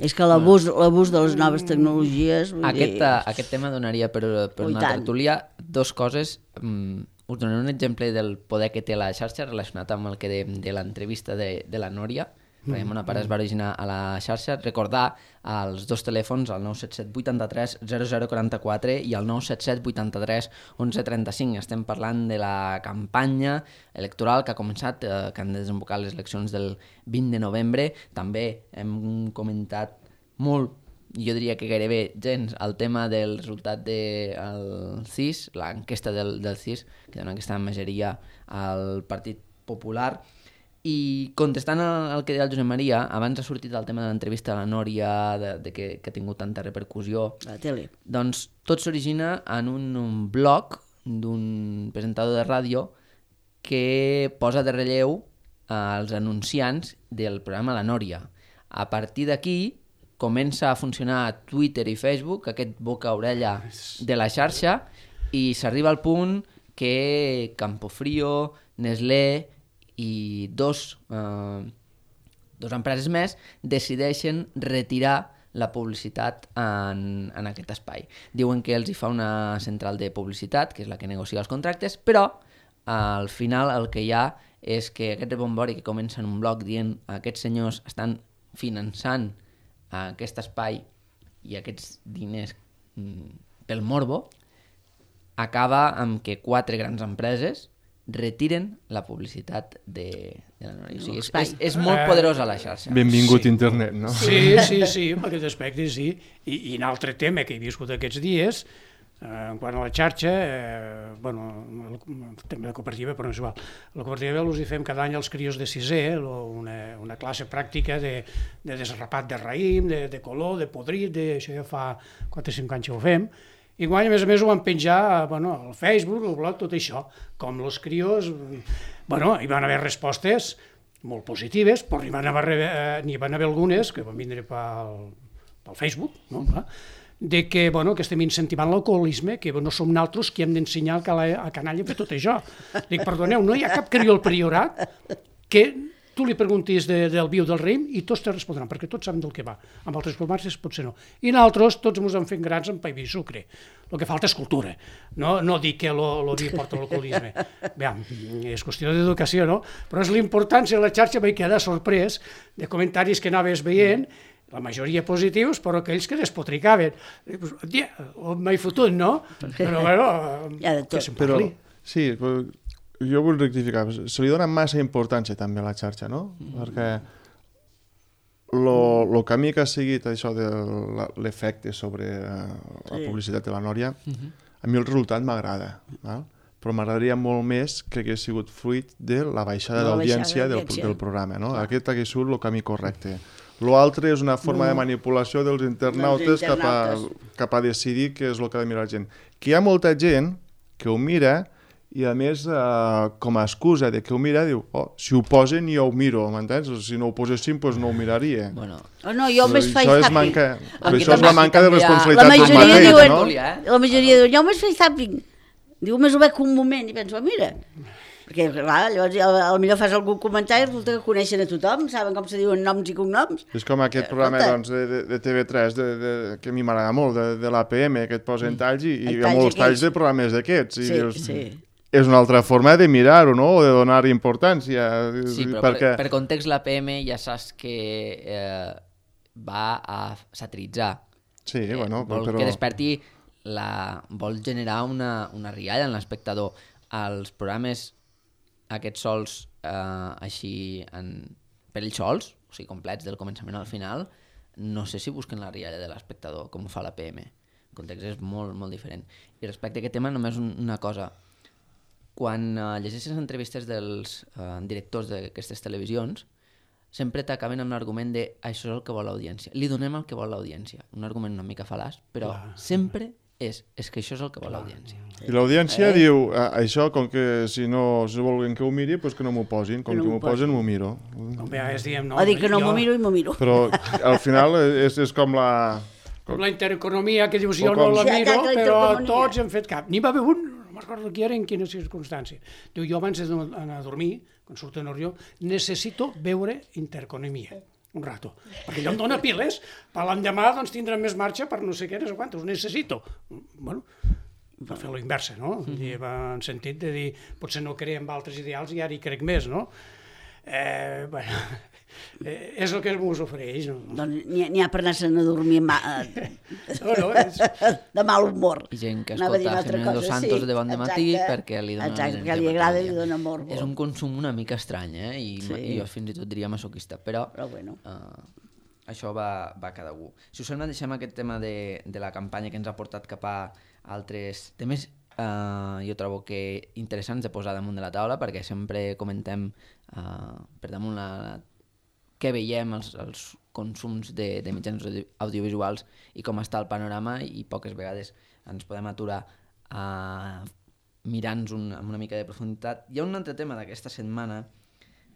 És que l'abús de les noves tecnologies... Aquest tema donaria per una tertúlia. Dos coses. Us donaré un exemple del poder que té la xarxa relacionat amb el que dèiem de l'entrevista de la Núria. La Mona Pare es va originar a la xarxa. Recordar els dos telèfons, el 977 83 0044 i el 977 83 1135. Estem parlant de la campanya electoral que ha començat, que han desembocat les eleccions del 20 de novembre. També hem comentat molt, jo diria que gairebé gens, el tema del resultat del CIS, l'enquesta del CIS, que dona aquesta majoria al Partit Popular. I contestant al que deia el Josep Maria, abans ha sortit el tema de l'entrevista a la Núria, que ha tingut tanta repercussió. A la tele. Doncs tot s'origina en un blog d'un presentador de ràdio que posa de relleu els anunciants del programa La Núria. A partir d'aquí comença a funcionar Twitter i Facebook, aquest boca-orella de la xarxa, i s'arriba al punt que Campofrío, Nestlé i dos empreses més decideixen retirar la publicitat en aquest espai. Diuen que els hi fa una central de publicitat, que és la que negocia els contractes, però al final el que hi ha és que aquest rebombori que comença en un blog dient aquests senyors estan finançant aquest espai i aquests diners pel morbo, acaba amb que 4 grans empreses retiren la publicitat de la Núria. O sigui, és molt poderosa la xarxa. Benvingut internet, no? Sí, en aquest aspecte sí. I un altre tema que he viscut aquests dies, quant a la xarxa, el tema de cooperativa, però no és igual. La cooperativa els hi fem cada any als crios de sisè, una classe pràctica de desrapat de raïm, de color, de podrit, això ja fa 4 o 5 anys que ho fem. I guany, a més ho van penjar al Facebook, al blog, tot això. Com els crios, hi van haver respostes molt positives, però n'hi van haver algunes que van vindre pel Facebook, no? De que estem incentivant l'alcoholisme, que no som nosaltres qui hem d'ensenyar al canalla a fer tot això. Dic, perdoneu, no hi ha cap crió al priorat que tu li preguntis del viu del raïm i tots te respondran, perquè tots saben del que va. Amb altres comarques potser no. I nosaltres tots ens hem fet grans amb pa i vi i sucre. El que falta és cultura. No dic que el vi porta l'alcoholisme. És qüestió d'educació, no? Però és l'importància de la xarxa, vaig quedar sorprès de comentaris que anaves veient, la majoria positius, però aquells que despotricaven. M'he fotut, no? Però que se'n parli. Sí, jo vull rectificar, se li dona massa importància també a la xarxa, no? Perquè el camí que ha seguit això de l'efecte sobre la publicitat de la Núria, a mi el resultat m'agrada, però m'agradaria molt més que hagués sigut fruit de la baixada d'audiència del programa, no? Aquest hagués sigut el camí correcte. L'altre és una forma de manipulació dels internautes cap a decidir què és el que ha de mirar la gent. Que hi ha molta gent que ho mira i a més, com a excusa de que ho mira, diu, si ho posen jo ho miro, m'entens? Si no ho posessin, doncs no ho miraria. Jo més faig zapping. Però això és la manca de responsabilitat d'un mateix, no? La majoria diuen, jo més faig zapping. Diu, més ho veig un moment i penso, mira. Perquè, clar, llavors potser fas algun comentari i resulta que coneixen a tothom, saben com se diuen noms i cognoms. És com aquest programa de TV3, que a mi m'agrada molt, de l'APM, que et posen talls i hi ha molts talls de programes d'aquests. Sí. És una altra forma de mirar-ho, no? O de donar importància. Sí, però per context l'APM ja saps que va a satiritzar. Sí, vol que desperti vol generar una rialla en l'espectador. Els programes aquests sols així per ells sols, o sigui, complets del començament al final, no sé si busquen la rialla de l'espectador, com ho fa l'APM. el context és molt, molt diferent. I respecte a aquest tema, només una cosa. Quan llegeixes entrevistes dels directors d'aquestes televisions, sempre t'acaben amb l'argument de això és el que vol l'audiència. Li donem el que vol l'audiència. Un argument una mica fal·laç, però sempre és que això és el que vol l'audiència. I l'audiència diu, això, com que si no volen que ho miri, doncs que no m'ho posin. Com que m'ho posen, m'ho miro. O dir que no m'ho miro i m'ho miro. Però al final és com la... Com la intereconomia, que dius jo no la miro, però tots hem fet cap. N'hi va haver un, no m'acordo qui era, en quina circumstància. Diu, jo abans d'anar a dormir, quan surto a Norrió, necessito veure intereconomia un rato, perquè allò em dóna piles, per l'endemà doncs tindrà més marxa per no sé què, no sé quantos, ho necessito. Bueno, per fer la inversa, no? En sentit de dir, potser no creiem altres ideals i ara hi crec més, no? Bueno, és el que m'us ofereix. No? Doncs n'hi ha per anar-se'n a dormir de mal humor. I gent que escolta Jiménez Dos Santos de bon matí perquè li dona... Exacte, perquè li agrada i li dona amor. És un consum una mica estrany, I jo fins i tot diria masoquista, però bueno. Això va a cada un. Si us sembla, deixem aquest tema de la campanya que ens ha portat cap a altres temes. Jo trobo que interessants de posar damunt de la taula, perquè sempre comentem per damunt què veiem els consums de mitjans audiovisuals i com està el panorama, i poques vegades ens podem aturar a mirar-nos amb una mica de profunditat. Hi ha un altre tema d'aquesta setmana,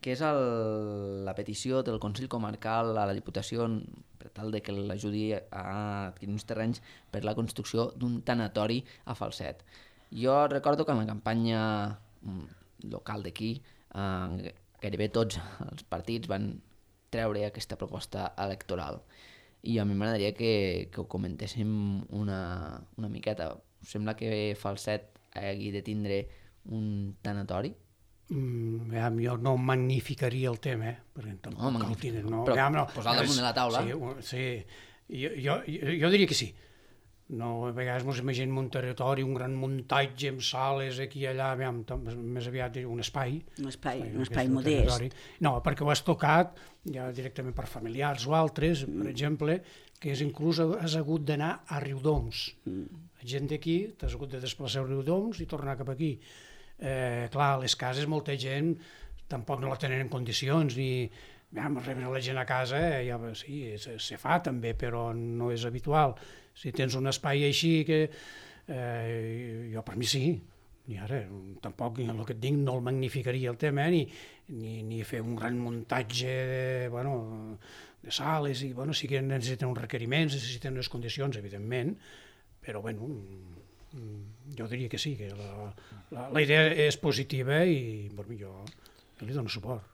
que és la petició del Consell Comarcal a la Diputació per tal de que l'ajudi a adquirir uns terrenys per la construcció d'un tanatori a Falset. Jo recordo que en la campanya local d'aquí gairebé tots els partits van treure aquesta proposta electoral, i a mi m'agradaria que ho comentéssim una miqueta. Us sembla que Falset hagi de tindre un tanatori? Jo no magnificaria el tema, perquè tampoc el tenen. Però posar damunt de la taula? Sí, jo diria que sí. No, a vegades ens imaginem un territori, un gran muntatge amb sales aquí i allà, més aviat un espai. Un espai modest. No, perquè ho has tocat ja directament per familiars o altres, per exemple, que inclús has hagut d'anar a Riudoms. Gent d'aquí, t'has hagut de desplaçar a Riudoms i tornar cap aquí. Clar, les cases molta gent tampoc no la tenen en condicions, ni rebre la gent a casa, ja sí, se fa també, però no és habitual. Si tens un espai així, que jo per mi sí, i ara tampoc el que et dic no el magnificaria el tema, ni fer un gran muntatge de sales, i sí que necessiten uns requeriments, necessiten unes condicions, evidentment, però jo diria que sí, que la idea és positiva i jo li dono suport.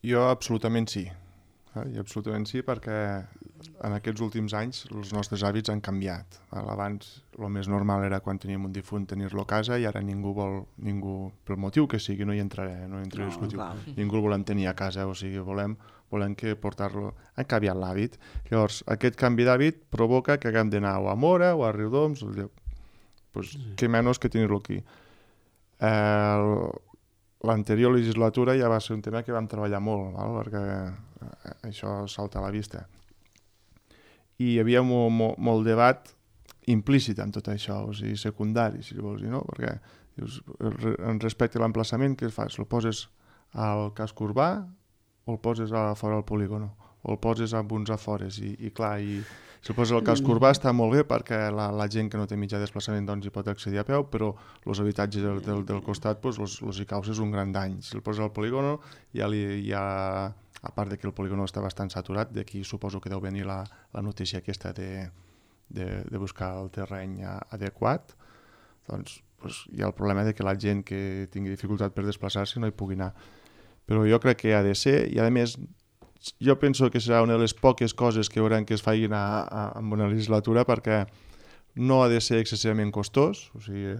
Jo absolutament sí. Absolutament sí, perquè en aquests últims anys els nostres hàbits han canviat. Abans el més normal era quan teníem un difunt tenir-lo a casa, i ara ningú, pel motiu que sigui, no hi entraré a discutir, ningú el volem tenir a casa, o sigui, volem que portar-lo... Ha canviat l'hàbit. Llavors, aquest canvi d'hàbit provoca que haguem d'anar o a Móra o a Riudoms, què menys que tenir-lo aquí. L'anterior legislatura ja va ser un tema que vam treballar molt, perquè això salta a la vista. I hi havia molt debat implícit en tot això, o sigui, secundari, si vols dir, no? Perquè respecte a l'emplaçament, què fas? El poses al casc urbà o el poses a fora del polígono? O el poses amb uns afores? I clar, si el poses al casc urbà està molt bé perquè la gent que no té mitjà desplaçament doncs hi pot accedir a peu, però els habitatges del costat els hi causes un gran dany. Si el poses al polígono ja a part que el polígono està bastant saturat, d'aquí suposo que deu venir la notícia aquesta de buscar el terreny adequat, doncs hi ha el problema que la gent que tingui dificultat per desplaçar-se no hi pugui anar. Però jo crec que ha de ser, i a més jo penso que serà una de les poques coses que hauran que es facin en una legislatura, perquè no ha de ser excessivament costós, o sigui,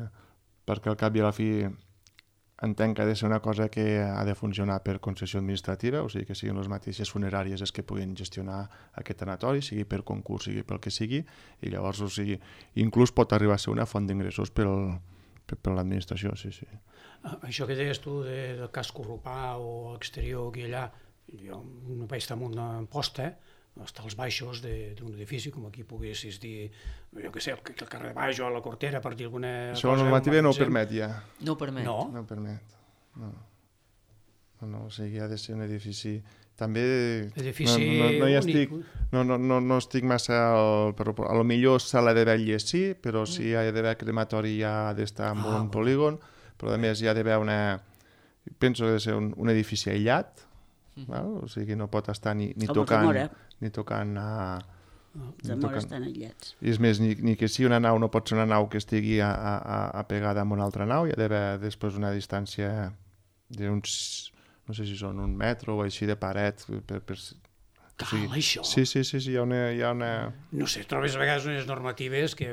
perquè al cap i a la fi entenc que ha de ser una cosa que ha de funcionar per concessió administrativa, o sigui que siguin les mateixes funeràries les que puguin gestionar aquest tanatori, sigui per concurs, sigui pel que sigui, i llavors, o sigui, inclús pot arribar a ser una font d'ingressos per l'administració, sí. Això que deies tu del casc urbà o exterior aquí allà, jo no vaig estar en una posta estar als baixos d'un edifici, com aquí poguessis dir, jo què sé, el carrer baix o la Cortera, per dir alguna cosa. Això la normativa no ho permet ja. No ho permet? No. No ho permet, no. O sigui, ha de ser un edifici... També edifici no estic massa... A lo millor sala de vetlles sí, però si hi ha d'haver crematori ja ha d'estar en un polígon, però a més hi ha d'haver penso que ha de ser un edifici aïllat, o sigui, no pot estar ni tocant Zamora estan aïllats. I és més, ni que sigui una nau, no pot ser una nau que estigui apegada a una altra nau, hi ha d'haver després una distància d'uns... no sé si són 1 metre o així de paret. Cal, això? Sí, hi ha una... No sé, trobes a vegades unes normatives que...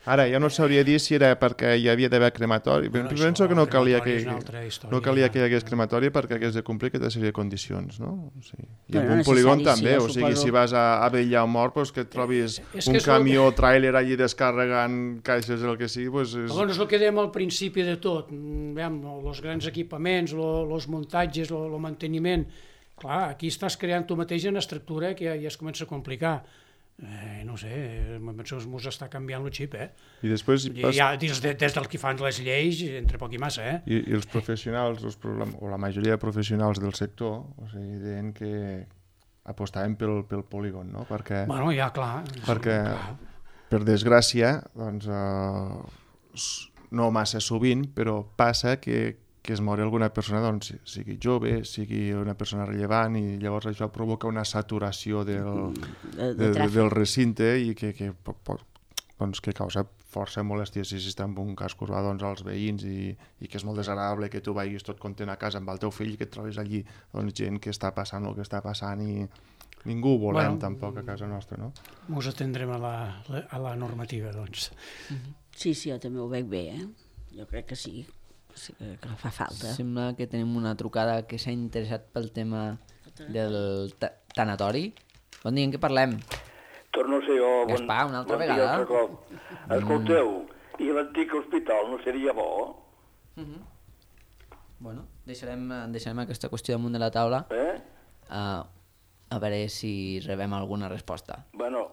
Ara, jo no sabria dir si era perquè hi havia d'haver crematori. Penso que no calia que hi hagués crematori perquè hagués de complir aquesta sèrie de condicions, no? O sigui, i en un polígon també, o sigui, si vas a vetllar un mort, que et trobis un camió o tràiler allí descarregant caixes, el que sigui... Llavors, és el que dèiem al principi de tot, els grans equipaments, els muntatges, el manteniment... Clar, aquí estàs creant tu mateix una estructura que ja es comença a complicar. No sé, penso que ens està canviant el xip, I després... Ja, des dels que fan les lleis, entre poc i massa, I els professionals, o la majoria de professionals del sector, o sigui, deien que apostaven pel polígon, no? Perquè... Bueno, ja, clar. Perquè, per desgràcia, doncs, no massa sovint, però passa que es mori alguna persona, doncs, sigui jove, sigui una persona rellevant, i llavors això provoca una saturació del recinte i que causa força molèstia si està en un casc urbà als veïns i que és molt desagradable que tu vagis tot content a casa amb el teu fill i que et trobis allí gent que està passant el que està passant i ningú ho volem tampoc a casa nostra, no? Ens atendrem a la normativa, doncs. Sí, jo també ho veig bé, jo crec que sí. Que fa falta. Sembla que tenim una trucada que s'ha interessat pel tema del tanatori. Bon dia, en què parlem? Torno a ser jo. Gaspar, una altra vegada. Escolteu, i l'antic hospital no seria bo? Bueno, deixarem aquesta qüestió damunt de la taula. A veure si rebem alguna resposta. Bueno,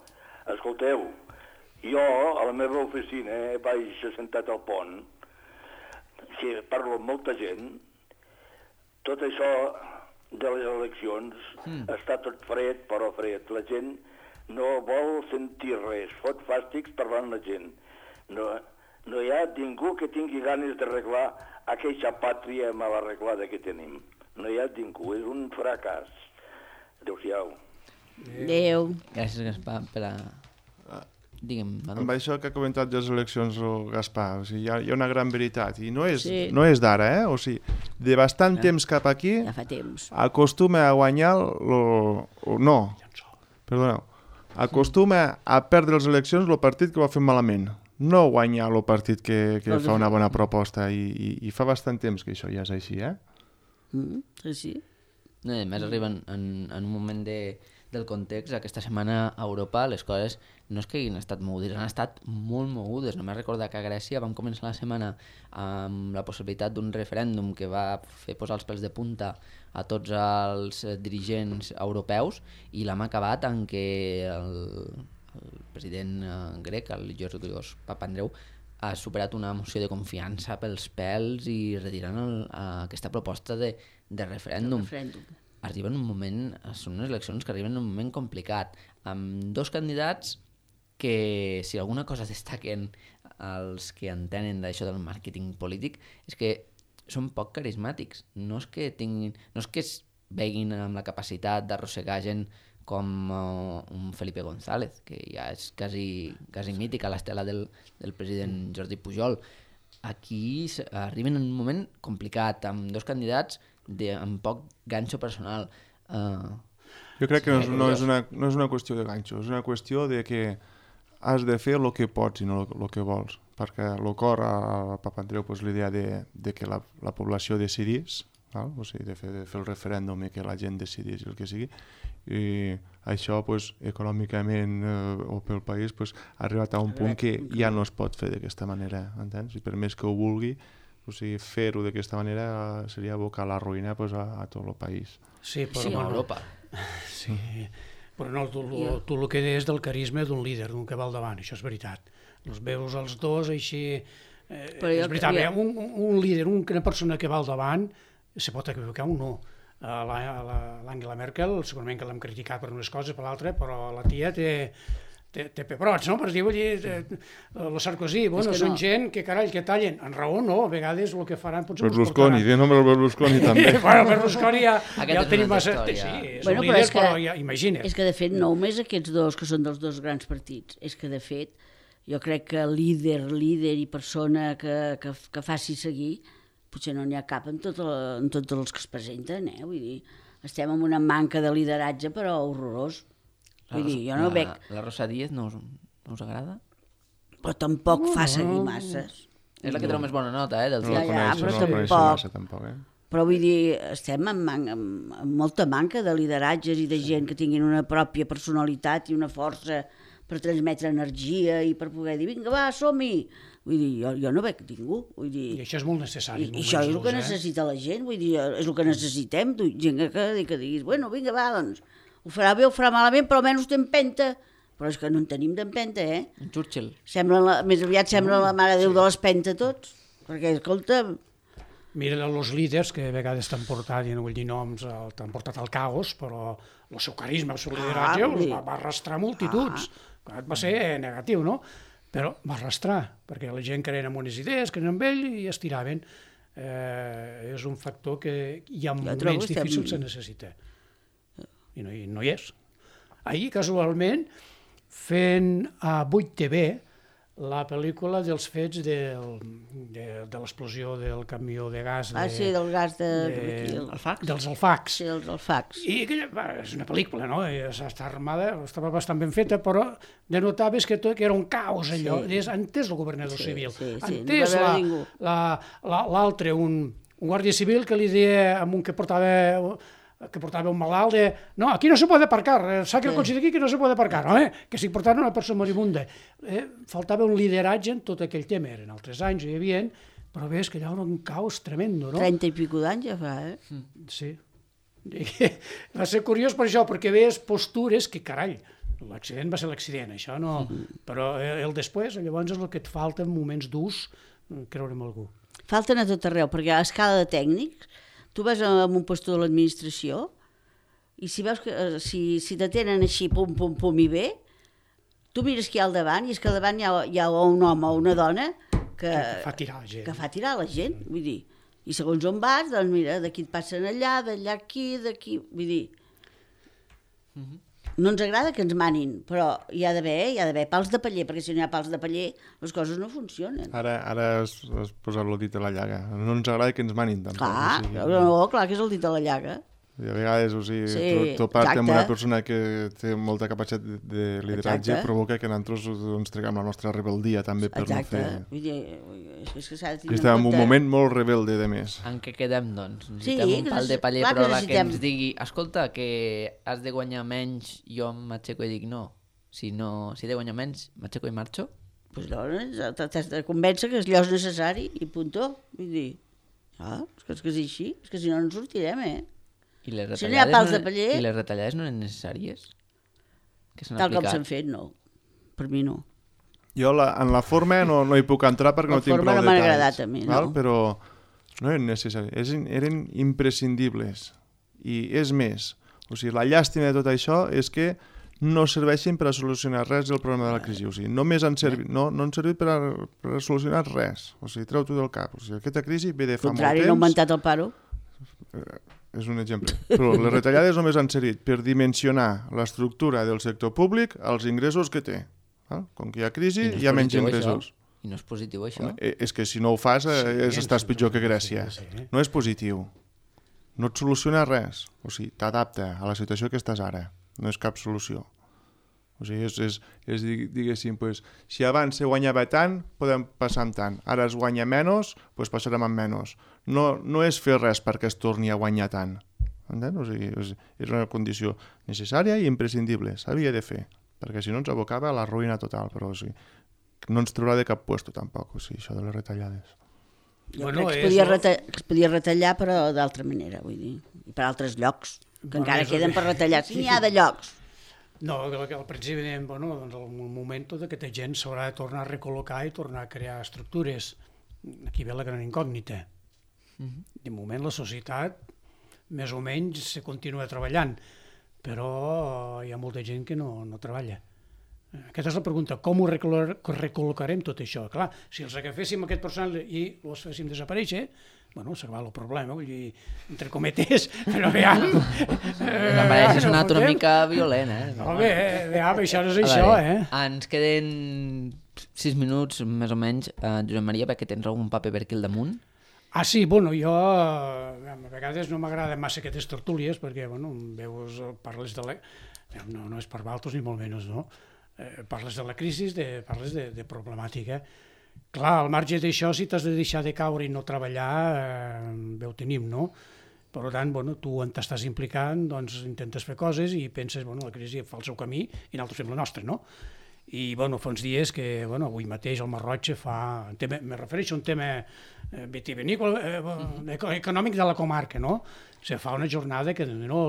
escolteu, jo a la meva oficina vaig assentat al pont, si parlo amb molta gent, tot això de les eleccions està tot fred, però fred. La gent no vol sentir res, fot fàstics parlant la gent. No hi ha ningú que tingui ganes d'arreglar aquella pàtria mal arreglada que tenim. No hi ha ningú, és un fracàs. Adéu-siau. Adéu. Gràcies, Gaspar, per a... Digue'm, Manu. Amb això que ha comentat de les eleccions, Gaspar, o sigui, hi ha una gran veritat, i no és d'ara, o sigui, de bastant temps cap aquí, ja fa temps, acostuma a guanyar acostuma a perdre les eleccions el partit que ho ha fet malament, no guanyar el partit que fa una bona proposta, i fa bastant temps que això ja és així, Sí. A més, arriben en un moment del context. Aquesta setmana a Europa les coses no és que hagin estat mogudes, han estat molt mogudes. Només recordar que a Grècia vam començar la setmana amb la possibilitat d'un referèndum que va fer posar els pèls de punta a tots els dirigents europeus, i l'hem acabat en què el president grec, el Georgios Papandreou, ha superat una moció de confiança pels pèls i retirant aquesta proposta de referèndum. Arriben un moment, són unes eleccions que arriben en un moment complicat, amb dos candidats que, si alguna cosa destaquen els que entenen d'això del màrqueting polític, és que són poc carismàtics. No és que es veguin amb la capacitat d'arrossegar gent com un Felipe González, que ja és quasi mític a l'estela del president Jordi Pujol. Aquí arriben en un moment complicat, amb dos candidats amb poc ganxo personal. Jo crec que no és una qüestió de ganxo, és una qüestió de que has de fer el que pots i no el que vols, perquè el cor al Papandreou l'idea de que la població decidís, o sigui, de fer el referèndum i que la gent decidís el que sigui, i això econòmicament o pel país ha arribat a un punt que ja no es pot fer d'aquesta manera, entens? I per més que ho vulgui, o sigui, fer-ho d'aquesta manera seria abocar la ruïna a tot el país. Sí, però a Europa. Sí, Sí. Però no, tu el que és del carisma d'un líder, d'un que va al davant, això és veritat. Els veus els dos així... és veritat, un líder, una persona que va al davant, se pot equivocar o no. L'Angela Merkel, segurament que l'hem criticat per unes coses, per l'altra, però la tia té pebrots, no? Per dir, vull dir, el Sarkozy, bueno, són gent que, carai, que tallen. En raó no, a vegades el que faran potser... Berlusconi, diu nombre el Berlusconi també. Bueno, Berlusconi ja el tenim massa... Sí, són líders, però ja imagina't. És que, de fet, no només aquests dos, que són dels dos grans partits, és que, de fet, jo crec que líder i persona que faci seguir, potser no n'hi ha cap en tots els que es presenten, vull dir, estem en una manca de lideratge, però horrorós. Vull dir, jo no veig... La Rosa Díez no us agrada? Però tampoc fa seguir masses. És la que treu més bona nota, dels Ja, però tampoc. Però vull dir, estem amb molta manca de lideratges i de gent que tinguin una pròpia personalitat i una força per transmetre energia i per poder dir, vinga, va, som-hi! Vull dir, jo no veig ningú. Vull dir, I això és molt necessari. I això és el que necessita la gent, vull dir, és el que necessitem, gent que diguis, bueno, vinga, va, doncs, ho farà bé, ho farà malament, però almenys té empenta. Però és que no en tenim d'empenta, En Churchill. Més aviat sembla la Mare Déu de l'Espenta tots, perquè, escolta... Mira, els líders que a vegades t'han portat, i no vull dir noms, t'han portat al caos, però el seu carisma, el seu lideratge va arrastrar multituds. Va ser negatiu, no? Però va arrastrar, perquè la gent creien en unes idees, creien en ell i es tiraven. És un factor que hi ha moments difícils que necessita. I no hi és. Ahir, casualment, fent a 8TV la pel·lícula dels fets de l'explosió del camió de gas... del gas dels Alfacs. Sí, dels Alfacs. I és una pel·lícula, no? Està armada, estava bastant ben feta, però denotaves que era un caos allò. Entès el governador civil, entès l'altre, un guàrdia civil que li deia a un que portava un malalt no, aquí no se puede aparcar, saca el cotxe d'aquí que no se puede aparcar, que si portaven una persona moribunda. Faltava un lideratge en tot aquell tema, eren altres anys, hi havia, però ves que allà era un caos tremendo, no? 30 i pico d'anys ja fa, Sí. Va ser curiós per això, perquè veies postures que, carai, l'accident va ser l'accident, això no... Però el després, llavors és el que et falta en moments durs, creure en algú. Falten a tot arreu, perquè a escala de tècnics, tu vas a un puesto de l'administració i si veus que si t'atenen així pum, pum, pum i bé, tu mires qui hi ha al davant i és que al davant hi ha un home o una dona que fa tirar la gent. Que fa tirar la gent, vull dir. I segons on vas, doncs mira, d'aquí et passen allà, d'allà aquí, d'aquí... Vull dir, no ens agrada que ens manin, però hi ha d'haver pals de paller, perquè si no hi ha pals de paller les coses no funcionen. Ara has posat el dit a la llaga. No ens agrada que ens manin tampoc. Clar que és el dit a la llaga. I a vegades, topar-te amb una persona que té molta capacitat de lideratge provoca que nosaltres treguem la nostra rebeldia també per no fer... Exacte. Que estem en un moment molt rebelde de més. En què quedem, doncs? Necessitem un pal de paller, però que ens digui escolta, que has de guanyar menys, jo m'aixeco i dic no. Si he de guanyar menys, m'aixeco i marxo? Doncs llavors t'has de convèncer que allò és necessari i puntó. Vull dir, és que és així, és que si no ens sortirem, I les si no hi ha pals de paller... I les retallades no eren necessàries? Tal com s'han fet, no. Per mi no. Jo en la forma no hi puc entrar perquè no tinc prou detalls. La forma no m'ha agradat a mi, no. Però no eren necessàries, eren imprescindibles. I és més, la llàstima de tot això és que no serveixen per a solucionar res del problema de la crisi. Només han servit, no han servit per a solucionar res. Treu-t'ho del cap. Aquesta crisi ve de fa molt temps... Contrari, no ha augmentat el paro. És un exemple. Però les retallades només han servit per dimensionar l'estructura del sector públic als ingressos que té. Com que hi ha crisi, hi ha menys ingressos. I no és positiu, això? És que si no ho fas, estàs pitjor que Grècia. No és positiu. No et soluciona res. T'adapta a la situació que estàs ara. No és cap solució. Diguéssim, si abans se guanyava tant, podem passar amb tant. Ara es guanya menys, passarem amb menys. No és fer res perquè es torni a guanyar tant. És una condició necessària i imprescindible. S'havia de fer, perquè si no ens abocava a la ruïna total. Però no ens traurà de cap puesto tampoc, això de les retallades. Jo crec que es podia retallar, però d'altra manera, vull dir, i per altres llocs. que encara queden per retallar, si n'hi ha de llocs. No, al principi dèiem, bueno, doncs el moment que aquesta gent s'haurà de tornar a recol·locar i tornar a crear estructures. Aquí ve la gran incògnita. De moment la societat més o menys se continua treballant, però hi ha molta gent que no treballa. Aquesta és la pregunta, com ho recol·locarem tot això? Clar, si els agaféssim aquest personal i els féssim desaparèixer, bueno, s'acaba el problema, vull dir, entre cometes, però veiem... M'apareix sonat una mica violent, Home, veiem, això no és això, Ens queden 6 minuts, més o menys. Josep Maria, perquè tens algun paper per aquí al damunt? Sí, bueno, jo a vegades no m'agrada massa aquestes tertúlies perquè, bueno, veus, parles de la... No és per valtos ni molt menys, no? Parles de la crisi, parles de problemàtica. Clar, al marge d'això, si t'has de deixar de caure i no treballar, bé ho tenim, no? Per tant, bueno, tu on t'estàs implicant, doncs intentes fer coses i penses, bueno, la crisi fa el seu camí i nosaltres fem la nostra, no? I, bueno, fa uns dies que, bueno, avui mateix el Masroig fa... Me refereixo a un tema vitivinícola, econòmic de la comarca, no? Se fa una jornada que, no,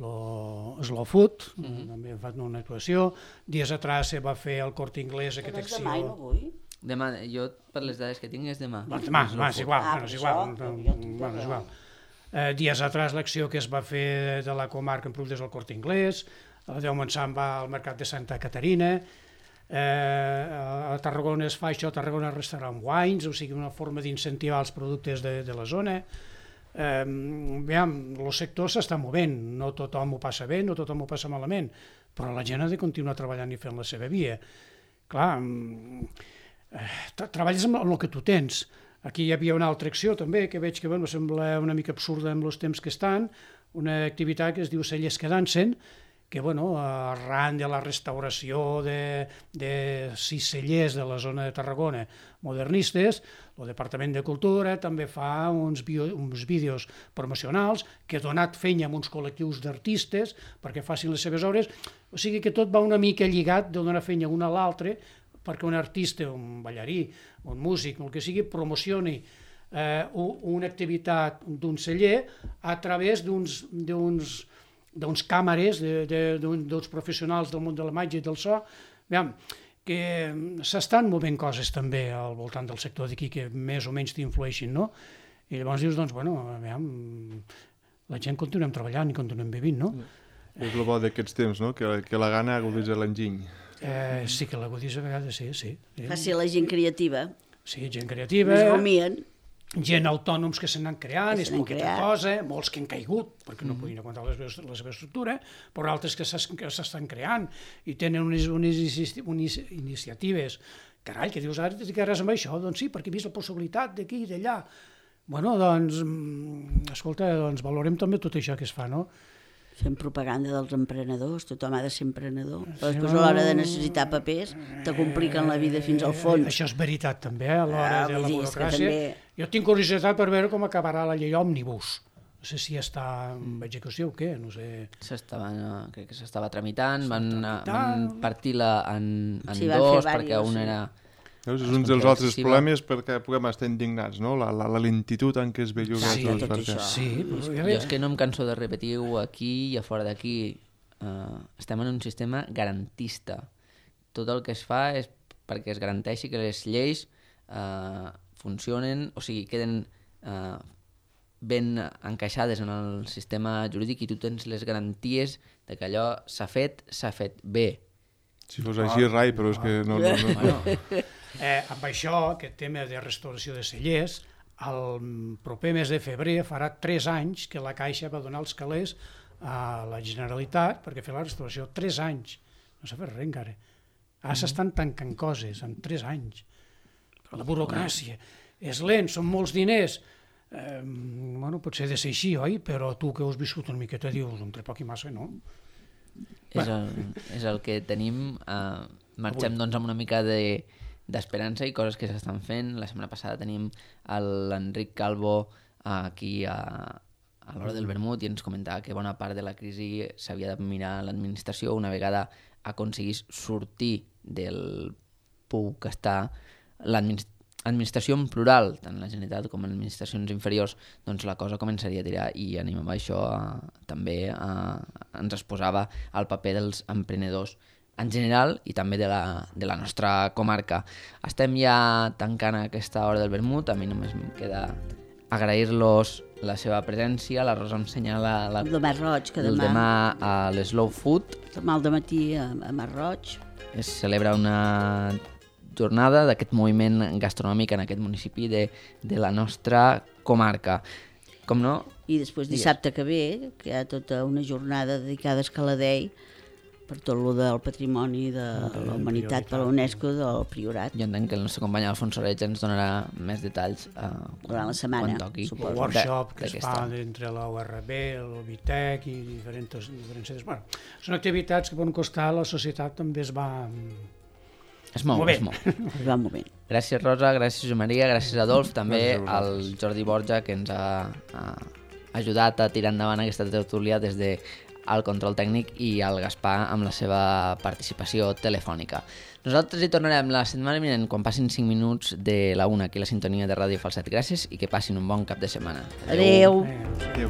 Slow Food, també ha fet una actuació. Dies atrás se va fer el Corte Inglés, aquesta acció... Demà i no vull. Demà, jo per les dades que tinc és demà. Demà, és igual, és igual. Dies atrás l'acció que es va fer de la comarca en productes del Corte Inglés, a Déu Montsant va al mercat de Santa Caterina, a Tarragona es fa això, a Tarragona Restaurant Wines, o sigui, una forma d'incentivar els productes de la zona. El sector s'està movent, no tothom ho passa bé, no tothom ho passa malament, però la gent ha de continuar treballant i fent la seva via. Clar, treballes amb el que tu tens. Aquí hi havia una altra acció també, que veig que sembla una mica absurda amb els temps que estan, una activitat que es diu Cellers que dansen, que arran de la restauració de 6 cellers de la zona de Tarragona modernistes, el Departament de Cultura també fa uns vídeos promocionals que ha donat feina a uns col·lectius d'artistes perquè facin les seves obres, o sigui que tot va una mica lligat de donar feina una a l'altre perquè un artista, un ballarí, un músic, el que sigui, promocioni una activitat d'un celler a través d'uns càmeres, d'uns professionals del món de la màgia i del so, que s'estan movent coses també al voltant del sector d'aquí que més o menys t'influeixin, no? I llavors dius, doncs, bueno, la gent continuem treballant i continuem vivint, no? És el bo d'aquests temps, no? Que la gana aguditza l'enginy. Sí, que l'aguditza a vegades, sí. Faci la gent creativa. Sí, gent creativa. Més rumien. Gent autònoms que se n'han creat, és poqueta cosa, molts que han caigut perquè no podien aguantar la seva estructura, però altres que s'estan creant i tenen unes iniciatives. Carai, que dius, ara et dedicaràs amb això? Doncs sí, perquè he vist la possibilitat d'aquí i d'allà. Bueno, doncs, escolta, valorem també tot això que es fa, no? Fem propaganda dels emprenedors, tothom ha de ser emprenedor, però després a l'hora de necessitar papers te compliquen la vida fins al fons. Això és veritat també, a l'hora de la burocràcia. Jo tinc curiositat per veure com acabarà la llei òmnibus. No sé si està en execució o què, no sé. Crec que s'estava tramitant, van partir-la en dos, perquè un era... És un dels altres problemes perquè puguem estar indignats, no? La lentitud en què es belluga tot això. Jo és que no em canso de repetir-ho aquí i a fora d'aquí. Estem en un sistema garantista. Tot el que es fa és perquè es garanteixi que les lleis funcionen, o sigui, queden ben encaixades en el sistema jurídic i tu tens les garanties de que allò s'ha fet bé. Si fos així, rai, però és que no. Amb això, aquest tema de restauració de cellers, el proper mes de febrer farà 3 anys que la Caixa va donar els calés a la Generalitat perquè fer la restauració. 3 anys. No s'ha fet res encara. Ara s'estan tancant coses en 3 anys. La burocràcia. És lent, són molts diners. Potser ha de ser així, oi? Però tu que ho has viscut una miqueta dius, entre poc i massa, no? És el que tenim. Marxem doncs amb una mica d'esperança i coses que s'estan fent. La setmana passada tenim l'Enric Calvo aquí a l'hora del vermut i ens comentava que bona part de la crisi s'havia de mirar l'administració una vegada aconseguís sortir del pou que està administració en plural, tant la Generalitat com administracions inferiors, doncs la cosa començaria a tirar i animava això també ens exposava al paper dels emprenedors en general i també de la nostra comarca. Estem ja tancant aquesta hora del vermut, a mi només em queda agrair-los la seva presència. La Rosa em senyala el de Mar Roig, que demà a l'Slow Food. Demà al dematí a Mar Roig. Es celebra una jornada d'aquest moviment gastronòmic en aquest municipi de la nostra comarca. Com no? I després dissabte que ve, que hi ha tota una jornada dedicada a Escaladei, per tot el del patrimoni de la humanitat per la UNESCO del Priorat. Jo entenc que el nostre company Alfons Oreig ens donarà més detalls durant la setmana, quan toqui. El workshop que es fa entre la URB, el Vitec i diferents centres. Bueno, són activitats que poden costar, la societat també es va... Es mou. Va movent. Gràcies, Rosa, gràcies, Josep Maria, gràcies, Adolf, també al Jordi Borja, que ens ha ajudat a tirar endavant aquesta tertúlia des de al control tècnic, i al Gaspar amb la seva participació telefònica. Nosaltres hi tornarem la setmana vinent quan passin 5 minuts de la 1 aquí a la sintonia de Ràdio Falset. Gràcies i que passin un bon cap de setmana. Adéu. Adéu.